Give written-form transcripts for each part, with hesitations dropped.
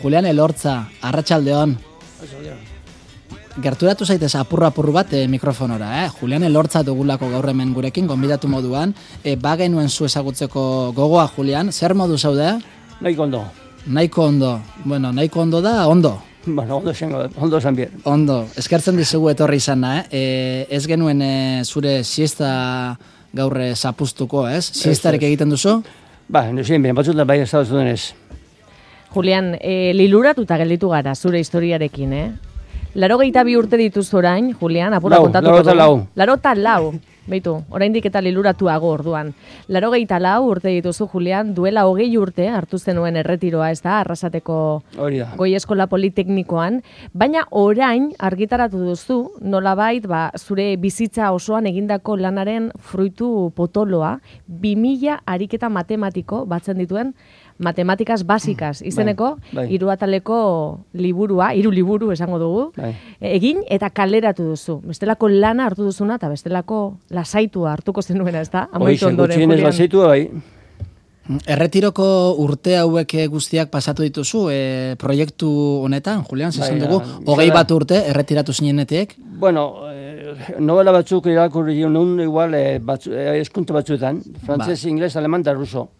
Julian Elortza, arratsaldeon. Gerturatu zaitez apurru bat mikrofonora, Julian Elortza dugulako gaur hemen gurekin, gonbidatu moduan. Bagenuen zu ezagutzeko gogoa, Julian, zer modu zaude? Nahiko ondo. Nahiko ondo. Bueno, nahiko ondo da, ondo. Bueno, ondo zan bier. Ondo, eskertzen dizugu etorri izana, Ez genuen zure siesta gaur zapuztuko, ez? Siestarek egiten duzu? Ba, nuzien, batzutan bai ez da denez. Julian, liluratuta gelditu gara zure historiarekin, 82 urte dituzu orain, Julian, apura kontatuko dugu. 84. Beitu, oraindik eta liluratuago orduan. 84 urte dituzu, Julian, duela 20 urte hartu zenuen erretiroa, ez da, Arrasateko Goi Eskola Politeknikoan, baina orain argitaratu duzu, nolabait, zure bizitza osoan egindako lanaren fruitu potoloa, 2000 ariketa matematiko batzen dituen Matematikaz Básicas izeneko, hiru ataleko liburua, 3 liburu esango dugu, egin eta kaleratu duzu. Bestelako lana hartu duzuna eta bestelako lasaitua hartuko zenuena, ez da? Amaitu ondoren, Julian. Lasaitua, bai. Erretiroko urte hauek guztiak pasatu dituzu proiektu honetan, Julian, zesan dugu, 21 urte erretiratu zinenetik? Bueno, novela batzuk irakurri nun, igual, eskunte batzuetan, frantses, ingles, aleman da ruso.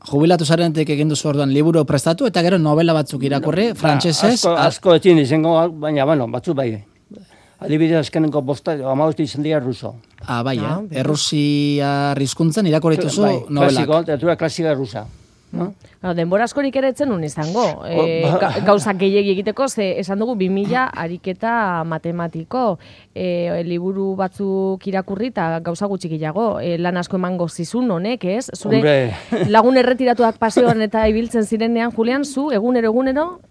Jubilatu zarenetik egin duzu orduan liburu prestatu eta gero novela batzuk irakurri, frantsesez. Asko etxin izango, baina, batzu bai. Adibidez azkenenko 15 izan dira ruso. Bai, Errusia hizkuntzan irakurri dituzu novelak. Klasiko, literatura klasika rusa. Denbora askorik ere etzen nun izango. Gauzak gehiegi egiteko, esan dugu 2000 ariketa matematiko, liburu batzuk irakurri eta gauza gutxi gehiago, lan asko emango zizun honek, ez? Zure lagun erretiratuak paseoan eta ibiltzen zirenean, Julian, zu egunero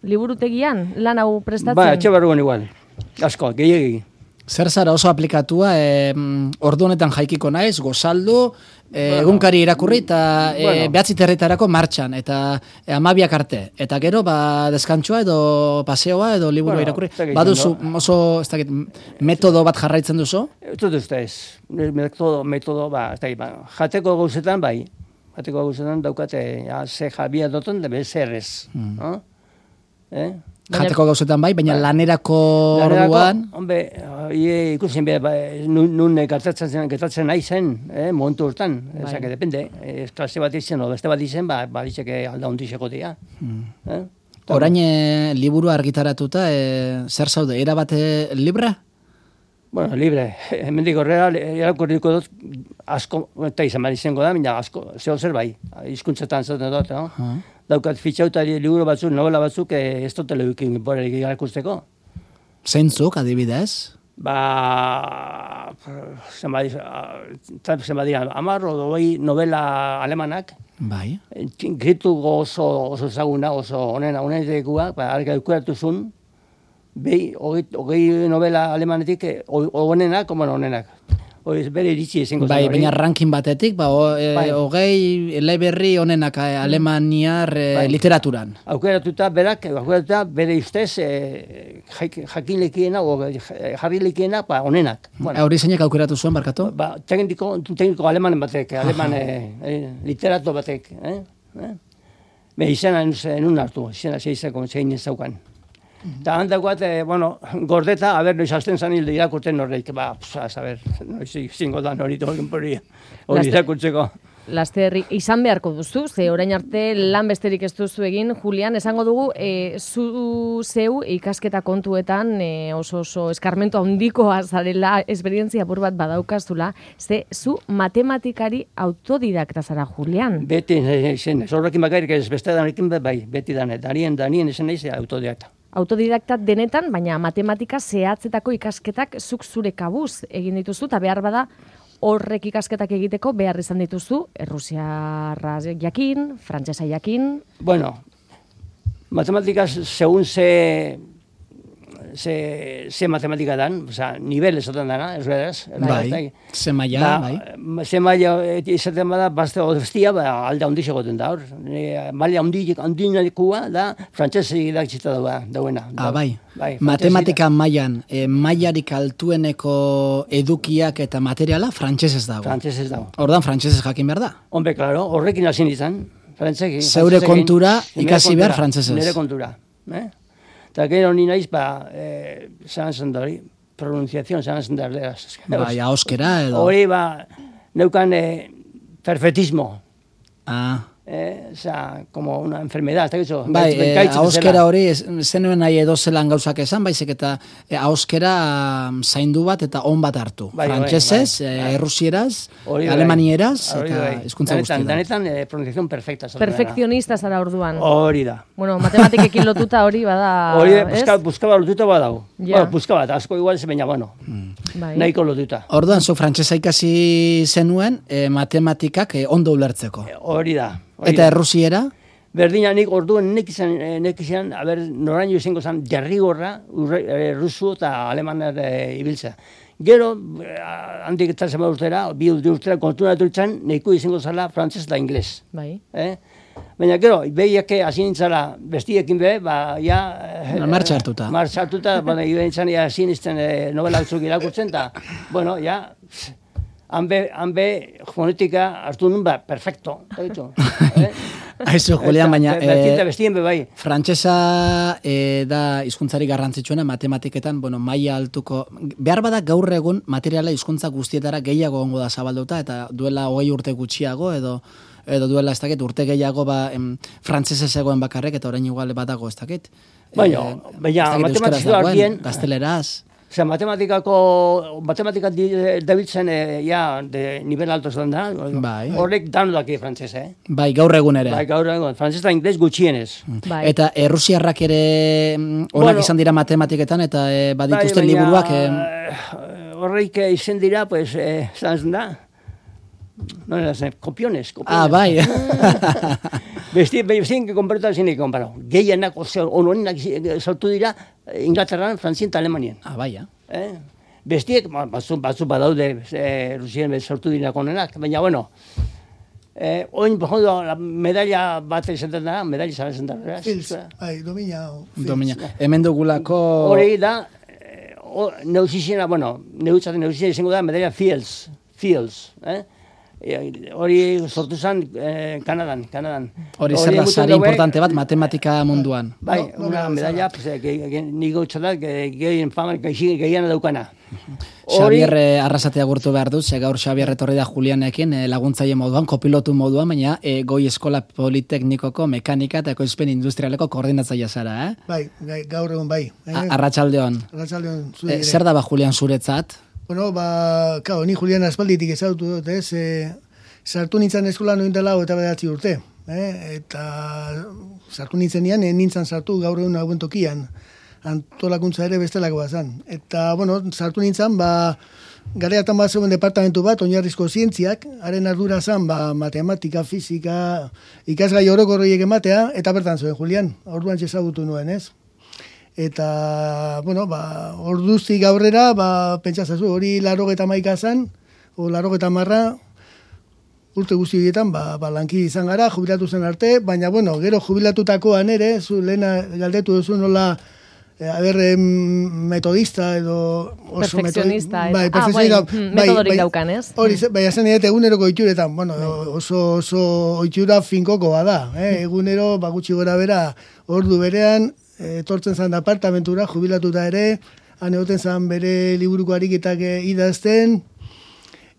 liburutegian lan hau prestatzen? Ba, etxe barruan igual. Asko, gehiegi. Zer zara oso aplikatua, ordu honetan jaikiko naiz, gozaldu, egunkari irakurri eta behatzi terretarako martxan, eta 12 arte. Eta gero, deskantzua edo paseoa edo liburu irakurri. Baduzu oso, ez dakit, metodo bat jarraitzen duzu? Ez dut ez. Metodo, jateko gauzetan, bai. Jateko gauzetan daukate, ze jabia doten, debe zer ez. Jateko gauzetan bai, baina lanerako orduan... Hombre, ikusten nun gertatzen nahi zen, momentu hortan. Ezak, depende. Klase bat izen, o beste bat izen, baditzeke alda ondizeko dira. Orain liburu argitaratuta, zer zaude, erabate libre? Bueno, libre. Hemendik horrela, irakurriko dut, asko, eta izan bat izango da, baina asko, zer bai, hizkuntzetan zaten dut, daukat fitxauta liburu batzuk, novela batzuk, ez dut telebikin borerik irakusteko. Zeintzuk, adibidez? Zenbat dira, 10 o 20 novela alemanak. Bai. Gritu oso ezaguna, oso honenetekuak, argi aukeratu zuen, 20 novela alemanetik, honenak, honenak. Bere iritsi izango zen. Bai, baina ranking batetik, 20 eleberri honenak alemaniar literaturan. Aukeratuta bere ustez jakin lekiena, jarri lekiena, honenak. Hori zeinek aukeratu zuen, barkatu? Tekniko alemanen batek, literato batek. Izena enun hartu, izena zeizako zein ez zaukan. Eta handakoat, gordeta, noiz hasten zan hilde irakurten horreik, noiz zingo da hori irakurtzeko. Laster, izan beharko duzu, ze orain arte lan besterik ez duzu egin, Julian, esango dugu, zeu ikasketa kontuetan oso eskarmentu handikoa zarela, esperientzia apur bat badaukazula, ze zu matematikari autodidakta zara, Julian. Beti, zorrekin bakairik ez beste danekin, beti danet, danien esan nahi ze autodidakta. Autodidakta denetan, baina matematika zehatzetako ikasketak zuk zure kabuz egin dituzu, eta behar bada horrek ikasketak egiteko behar izan dituzu, errusiarra jakin, frantsesa jakin. Bueno, matematika segun ze matematika dan, nivel esaten dana, ez beraz. Bai, ze maila, bai. Ze maila izaten bada, bazte odestia, alda ondiz egoten da hor. Maila ondinekua da, frantsesi idatzita dauena. Bai. Matematika mailan, mailarik altueneko edukiak eta materiala frantsesez dago. Frantsesez dago. Ordan frantsesez jakin behar da. Hombre, claro, horrekin hasi izan. Frantzekin. Zeure kontura ikasi behar frantzesez. Nire kontura. Eta gero ni naiz, zan zen da hori, pronunciazion zan zen da erderaz. Bai, ahoskera edo. Hori, neukan perfectismo. Como una enfermedad, bai, ahoskera hori, zenuen nahi edo zelan gauzak esan, baizik eta ahoskera zaindu bat eta on bat hartu. Frantsesez, errusieraz, alemanieraz, eta hizkuntza guztietan. Danetan, pronunciación perfecta. Perfekzionista zara orduan. Hori da. Bueno, matematikekin lotuta hori bada... Hori, buskaba lotuta badau. Buskaba, asko igual ez baina, bueno, nahiko lotuta. Orduan, zu frantsesa ikasi zenuen, matematikak ondo ulertzeko. Hori da. Eta errusiera? Berdina nik orduan nek izan, noraino izango zen derrigorra rusu eta alemanar ibiltzea. Gero, handik eta zema urtera, bi urtera kontunatu izan, neko izango zela frantzes eta ingles. Bai. Baina gero, behiak hasi nintzala bestiekin ja... Martxa hartuta. Martxa hartuta, ibe nintzen hasi nintzen novela batzuk irakurtzen, eta, bueno, ja... Hanbe fonetika hartu nun, perfecto. Aizu, Julian, baina... bestien bai. Frantsesa da hizkuntzari garrantzitsuena matematiketan, maila altuko... Behar bada gaur egun materiala hizkuntza guztietara gehiago ongo da zabalduta, eta duela 20 urte gutxiago, edo duela ez dakit, urte gehiago frantsesez egoen bakarrek, eta orain igual badago ez dakit. Baina, matematikua ardien... Gazteleraz... Matematika dabiltzen de nivel alto zen da, horrek danu daki frantzes, Bai, gaur egun ere. Bai, gaur egun, frantzes eta ingles gutxienez. Eta errusiarrak ere onak izan dira matematiketan, eta badituzten liburuak... Horreik izan dira, pues, zan da, kopiones. Bai. Bestien que komparatu zinik komparau. Gehienak, onoenak sortu dira Inglaterran, Frantzien eta Alemanien. Bai, Bestiek, batzu badaude Rusien sortu dira konenak, baina, bueno, oin, medalla bat esaten da, medalla zabezen da. Fils, domina. Hemen dugulako... Hori da, neuzizena, neuzizena izango da, medalla Fields, hori sortu zen Kanadan. Hori zer da, sari importante bat matematika munduan. Bai, una medalla, nigo txadak, gehien fama, gehien daukana. Xabier arrasatea gurtu behar dut, gaur Xabier etorri da Julianekin laguntzaile moduan, kopilotu moduan, baina Goi Eskola Politeknikoko mekanika eta ekoizpen industrialeko koordinatzailea zara, Bai, gaur egun bai. Arratsaldeon. Zer da Julian zuretzat? Bueno, ni Julian aspalditik ezautu dut, sartu nintzen eskolan noin dela eta 9 urte. Eta sartu nintzenean, nintzen sartu gaur egun hauen tokian. Antolakuntza ere bestelakoa zen. Eta, sartu nintzen, gareatan bat zeuen departamentu bat, oinarrizko zientziak, haren ardura zen, matematika, fizika, ikasgai orokorroiek ematea, eta bertan zuen, Julian, orduan ezagutu nuen, ez? Eta, orduztik aurrera, pentsazazu, hori 81 zen, o 80 urte guzti horietan, lanki izan gara, jubilatu zen arte, baina, gero jubilatutakoan ere, zu lehena galdetu duzu nola, metodista edo... Perfekzionista. Metodorik daukan, ez? Hori, zen eguneroko oituretan, oso oitura finkokoa da, egunero, gutxi gora bera, ordu berean, etortzen zan apartamentura, jubilatuta ere, han egoten zan bere liburuko ariketak idazten,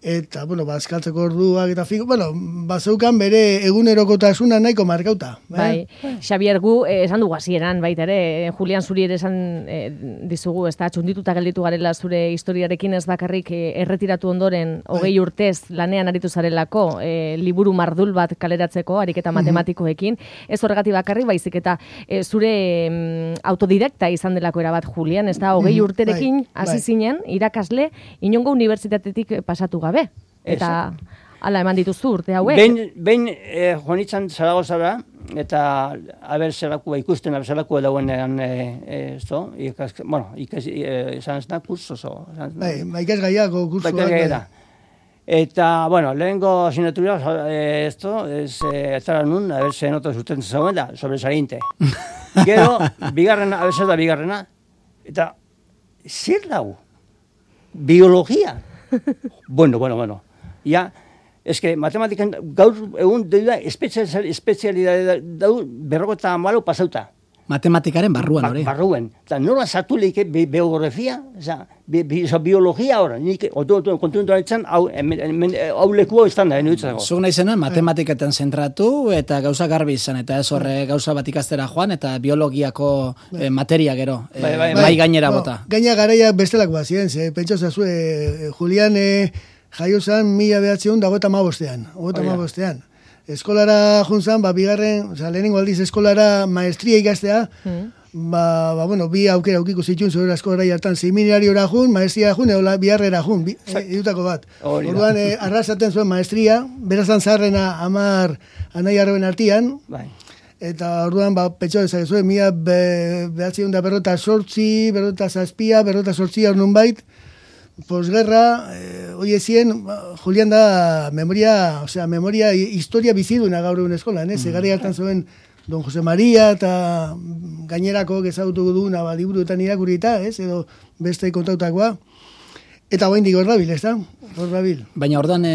eta, azkaltzeko orduak eta finko, bazeukan bere egunerokotasuna nahiko markauta. Bai, Xabier, gu esan dugu hasieran baita ere, Julian zuri ere esan dizugu, ez da, txundituta gelditu garela zure historiarekin ez bakarrik erretiratu ondoren 20 urtez lanean aritu zarelako, liburu mardul bat kaleratzeko, ariketa matematikoekin, ez horregatik bakarrik, baizik eta zure autodidakta izan delako erabat Julian, ez da, 20 urterekin hasi zinen, irakasle, inongo unibertsitatetik pasatu gabe. Eta ala eman dituzu urte hauek. Behin joanitzan Zaragozara, eta zerako ikusten, zerako dauenean, izan ez da, kurso. Ikasgaiako kurso. Eta, lehenko asignatura, ez zara nun, ze nota zuten zauen da, sobresaliente. Gero, bigarrena, bigarrena, eta zer lau? Biologia. Bueno. Ja, eske matematikan gaur egun da espezialidade dau 54 pasauta. Matematikaren barruan, hori. Barruan. Eta nola sartu leike biografia, biologia hori. Nik kontuntu haritzen, hau lekua izan da, enuitzako. Zuk nahi zenuen matematiketan zentratu eta gauza garbi izan, eta ez horre gauza bat ikastera joan, eta biologiako materia gero, mai gainera bota. Gaina garaia bestelako bat ziren, pentsa zazue, Julian jaio zen 1955. Eskolara juntzan, bigarren, lehenengo aldiz eskolara maestria ikastea, bi aukera aukiko zituen zure eskolara hartan, seminariora jun, maestria jun, edo biharrera jun, idutako bat. Orduan, arrasaten zuen maestria, berazan zaharrena 10 anai arroben artian, eta orduan, petxo dezak zuen, 1948, 1948 ornun bait, posguerra, hoi ezien, Julian da memoria, historia biziduna gaur egun eskolan, Zegari hartan zuen Don Jose Maria eta gainerako ezagutu duguna liburuetan irakurrita, edo beste kontautakoa. Eta hoain dik horrabil, ez da? Horrabil. Baina ordan,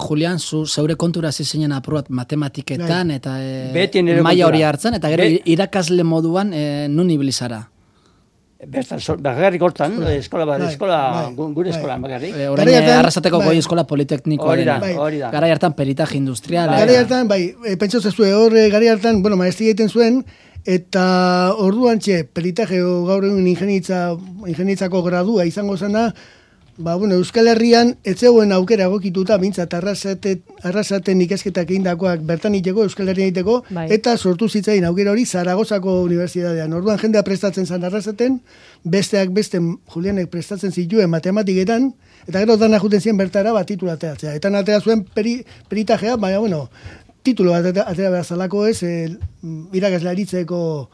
Julian, zeure kontura zizinen aprobat matematiketan, eta maila hori hartzen, eta gero irakasle moduan nun ibilizara. Bagarrik hortan, gure eskolan bagarrik. Orain Arrasateko goi eskola politeknikoa dena. Garai hartan peritaje industrial. Garai hartan, pentsa zezue, garai hartan, maestria egiten zuen, eta orduan peritaje gaur egun ingenitzako gradua izango zena, Euskal Herrian etzegoen aukera egokituta, bintzat Arrasaten ikasketak egindakoak bertan iteko, Euskal Herrian iteko, eta sortu zitzain aukera hori Zaragozako Unibertsitatean. Orduan jendea prestatzen zen Arrasaten, besteak beste Julianek prestatzen zituen matematiketan, eta gero dana juten zien bertara titulateatzea. Eta atera zuen peritajea, titulo bat atera behar zalako irakaslaritzeko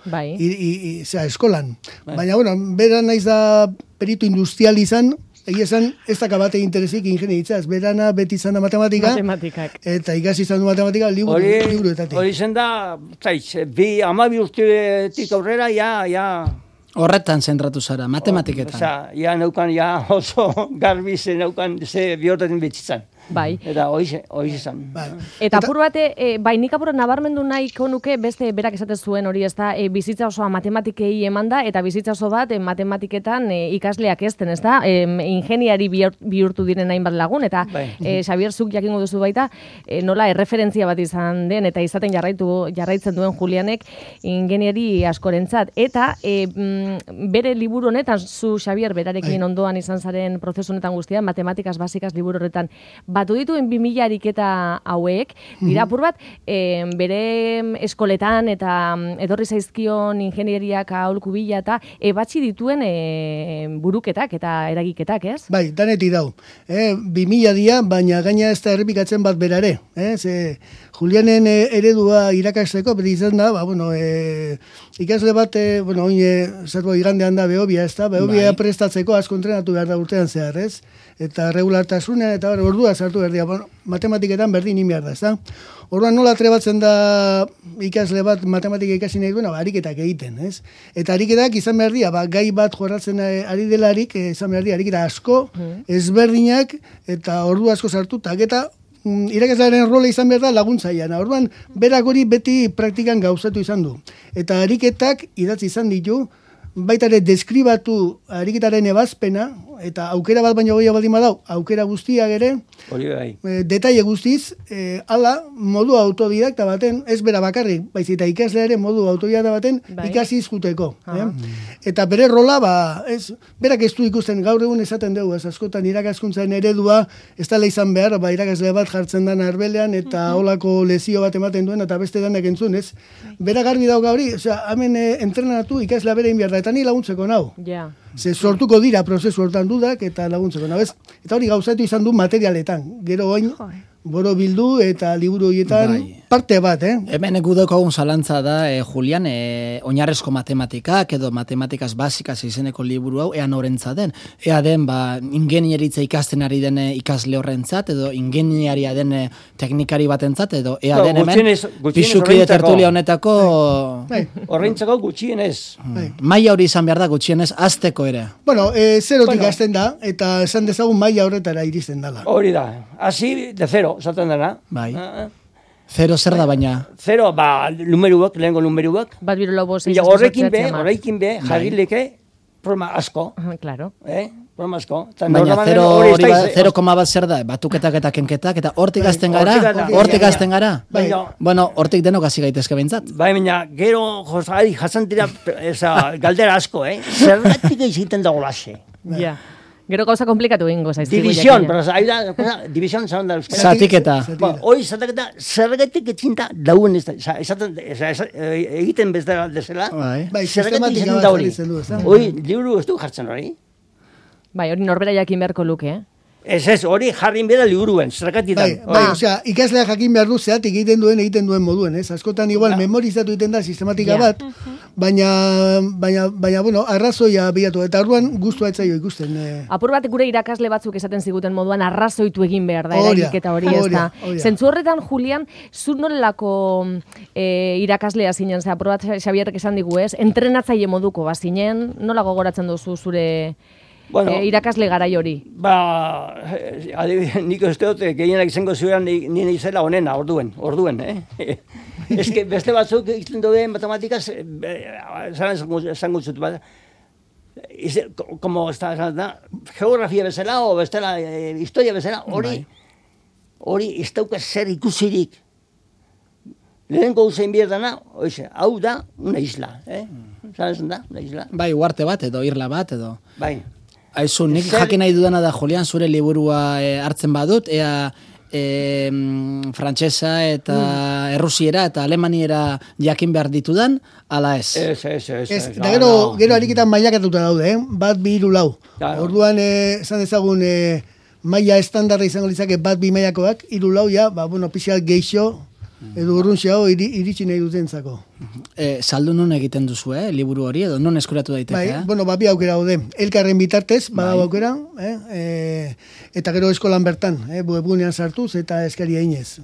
eskolan. Baina, bera naiz da peritu industrial izan, egia esan, ez dakabate interesik ingenieritza, ez berana beti izan da matematikak, eta ikasi izan du matematika liburuetatik. Hori zen da, 12 urtetik aurrera, horretan zentratu zara, matematiketan. Neukan, oso garbi zen neukan, ze bihortatzen betzitzen. Eta hori izan. Eta apur bate, nik apur nabarmendu nahiko nuke, beste berak esaten zuen hori, ez da, bizitza osoa matematikei eman da, eta bizitza oso bat matematiketan ikasleak ezten, ez da, ingeniari bihurtu diren hainbat lagun, eta Xabier zuk jakingo duzu baita, nola erreferentzia bat izan den, eta izaten jarraitzen duen Julianek ingeniari askorentzat. Eta bere liburu honetan, zu Xabier berarekin ondoan izan zaren prozesu honetan guztian, matematikaz basikaz liburu horretan, batu dituen 2000 ariketa hauek, dira apur bat, bere eskoletan eta etorri zaizkion ingenieriak aholku bila eta ebatzi dituen buruketak eta eragiketak, ez? Bai, danetik dau. 2000 dia, baina gaina ez da errepikatzen bat berare. Julianen eredua irakasteko, beti izan da, ikasle bat, igandean da Behobia, ez da? Behobia prestatzeko asko entrenatu behar da urtean zehar, ez? Eta regulartasunean, eta ordua sartu behar dira, matematiketan berdin behar da, ez da? Orduan nola trebatzen da ikasle bat matematika ikasi nahi duena, ariketak egiten, ez? Eta ariketak izan behar dira, gai bat jorratzen ari delarik, izan behar dira, ariketa asko, ezberdinak, eta ordu asko sartu, eta irakaslearen rola izan behar da laguntzaian. Orduan, berak hori beti praktikan gauzatu izan du. Eta ariketak idatzi izan ditu, baita ere deskribatu ariketaren ebazpena, eta aukera bat baino gehiago baldin badau, aukera guztiak ere, detaile guztiz, ala modu autodidakta baten, ez bera bakarrik, baizita ikasle ere modu autodidakta baten ikasi izkuteko. Eta bere rola, berak ez du ikusten gaur egun esaten dugu, askotan irakaskuntzaren eredua, ez dela izan behar, irakasle bat jartzen den arbelean, eta holako lezio bat ematen duen, eta beste danak entzun, ez? Bera garbi dauka hori, hemen entrenatu ikaslea bere inbiar da, eta ni laguntzeko nau. Ze sortuko dira prozesu hortan dudak eta laguntzeko. Eta hori gauzatu izan du materialetan. Gero oin, boro bildu eta liburu horietan parte bat, Hemen gudokogun zalantza da, Julian, oinarrezko matematikak edo matematikaz basikaz izeneko liburu hau, ea norentza den. Ea den, ingenieritza ikasten ari den ikasle horrentzat, edo ingenieria den teknikari batentzat, edo ea den hemen, pixuki de tertulia honetako... Horrentzako gutxienez. Maila hori izan behar da gutxienez, azteko ere. Zerotik azten da, eta esan dezagun maila horretara iristen dala. Hori da, hasi de zero. zaten dena. Bai. Zero zer da baina? Zero, numeruak, lehenko numeruak. Bat biru lau bost. Horrekin be, jarrileke, programa asko. Claro. Programa asko. Baina 0,1 zer da, batuketak eta kenketak, eta hortik azten gara? Bueno, hortik denok hasi gaitezke behintzat. Bai, baina, gero jasan dira galdera asko, zergatik egiten dago lase. Ja. Gero gauza komplikatu ingo zaizkigu. División, zaten da euskara. Zatiketa. Hoi, zatiketa, zergatik etxinta dauen ez da. Egiten bezala desela, zergatik etxinta da hori. Hoi, liburu ez du jartzen hori. Bai, hori norbera jakin beharko luke, Ez, hori jarrin bera liburuen, zergatitan. Bai, osea, ikaslea jakin behar du zeatik egiten duen moduen, ez? Askotan igual memorizatu egiten da sistematika bat, baina, bueno, arrazoia bilatu, eta orduan gustua etzaio ikusten. Apur bat gure irakasle batzuk esaten ziguten moduan arrazoitu egin behar da, eragiketa hori ez da. Zentzu horretan, Julian, zu nolako irakaslea zinen, apur bat Xabierrek esan digu ez, entrenatzaile moduko bazinen, nola gogoratzen duzu zure... irakasle garai hori. Nik uste dut, gehienak izango zueran nire izela onena, orduen, Ez que beste batzuk egiten duen matematikaz, esango zut bat, como geografia bezala, o bestela, historia bezala, hori ez dauka zer ikusirik. Lehenko usain bierdana, hau da, una isla, Zanezen da, una isla. Bai, uarte bat edo, irla bat edo. Bai. Aizu, nik jakin nahi dudana da, Julian, zure liburua hartzen badut, ea frantsesa eta errusiera eta alemaniera jakin behar ditudan, ala ez. Ez. Da gero ariketan mailakatuta daude, bat, 2, 3, 4. Orduan, esan dezagun, maila estandarra izango litzake bat 2 mailakoak, 3, 4, pixat geixo, edo urruntxeago iritsi nahi dutentzako. Saldu non egiten duzu, liburu hori, edo non eskuratu daiteke? Bai, bi aukera daude. Elkarren bitartez, badago aukera, eta gero eskolan bertan, webgunean sartuz eta eskaria inez.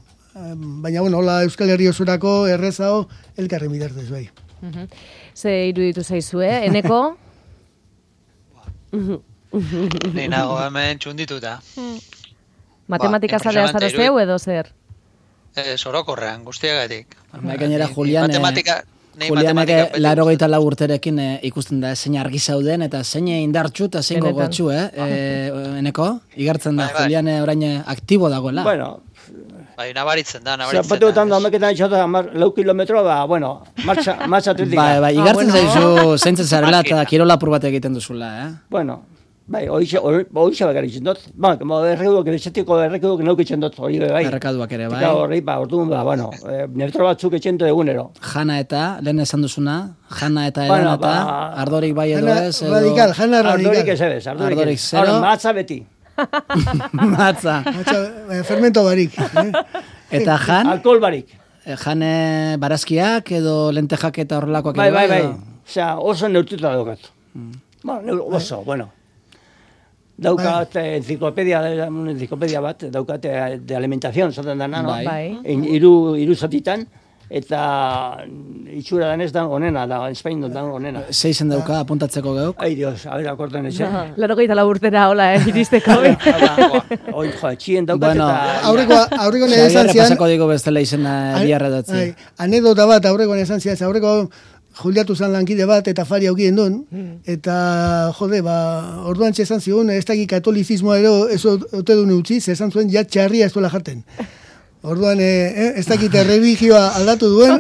Baina, hola Euskal Herri osurako errezao elkarren bitartez, bai. Ze iruditu zaizue, Eneko? Ni nago hemen txundituta. Matematika zalea zara zeu edo zer? Orokorrean, guztiagatik. Gainera, Julianek 84 urterekin ikusten da, zein argi zauden, eta zein indartxu eta zein gogotxu, Eneko? Igartzen da, Juliane orain aktibo dagoela. Bueno, nabaritzen da. Zapatuetan da, homeketan itxota, 4 kilometro, martxa atletika. Bai, igartzen zaizu, zeintzen zarela eta kirola apur bat egiten duzula, Bueno, bai, hoxe bakar itzen dut. Errekudok naukitzen dut, hori bai. Errekaduak ere, bai. Eta horri, orduan, neutro batzuk etxento egunero. Jana eta, lehen esan duzuna, Jana eta Elena eta, ardorik bai edo ez. Radikal, Jana radikal. Ardorik ez ebez, ardorik zero. Matza beti. Matza. Fermento barik. Eta Jan? Alkohol barik. Jane barazkiak edo lentejak eta horrelakoak edo? Bai. Osea, oso neurtuta daukat. Oso, bueno. Daukat enciclopedia bat, daukat de alimentación, zaten dana, no? Hiru zatitan, eta itxura danez da onena, da Espain da onena. Zeizen dauka, apuntatzeko geuk? Ai, Dios, a ver, akortan etxen. 84 urtera, hola, iristeko. Oi, txien daukat eta... Aurreko nire esan zian... Pasako digo bestela izena diarra datzi. Anedota bat, aurreko nire esan zian, aurreko... Juliatu zan lankide bat eta Fari aukien duen, eta orduan txezan zigun, ez daki katolizismoa ero ez ote duen utzi, zezan zuen ja txarria ez duela jaten. Orduan, ez dakit religioa aldatu duen.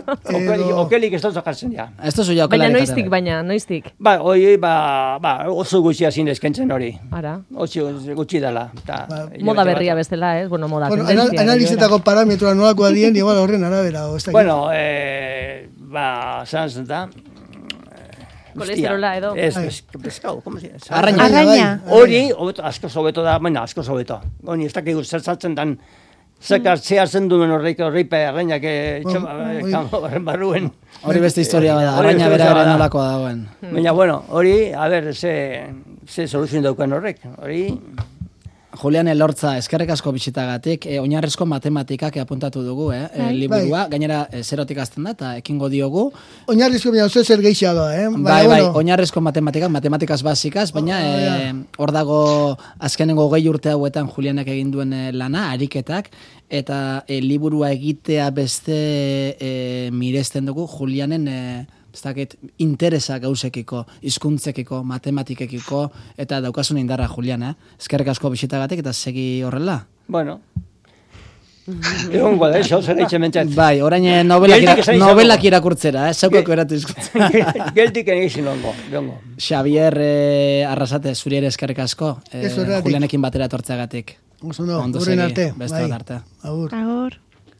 Okelik ez dut zakartzen, ja. Ez duzu ja okelari jaten. Baina noiztik? Oso gutxi hazin eskentzen hori. Ara. Oso gutxi dela. Moda berria bestela, ez? Bueno, moda tendentzia. Analizetako parametroa nolako adien, igual horren arabera. Bueno, zantzen da. Kolesterola edo. Pescado, ¿cómo se llama? Arraña. Hori, asko sobeto da, asko sobeto. Hori, ez dakik zertzatzen dan, zehartzen duen horreipe arrainak barruen. Hori beste historia bada, arraina bera nolakoa dagoen. Baina, bueno, hori, a ber, ze soluzioen dauken horrek. Hori, Julian Elortza, eskerrik asko bisitagatik, oinarrizko matematikak apuntatu dugu, liburua, gainera zerotik azten da, eta ekingo diogu. Oinarrizko baina oso zer gehiago, Bai, oinarrizko matematikaz basikaz, baina hor dago azkenengo 20 urte hauetan Julianek egin duen lana, ariketak, eta liburua egitea beste miresten dugu Julianen interesa gauzekiko, hizkuntzekiko, matematikekiko, eta daukasun indarra, Julian, eskerrik asko bisitagatik, eta segi horrela? Bueno. Egon guada, eso, zer eitxe mentzat. Bai, orain novelak irakurtzera, zaukako eratu hizkuntza. Geltik egin longo. Xavier Arrasate, zuri ere eskerrik asko, Julianekin batera etortzeagatik. Ondo segi, beste arte. Agur.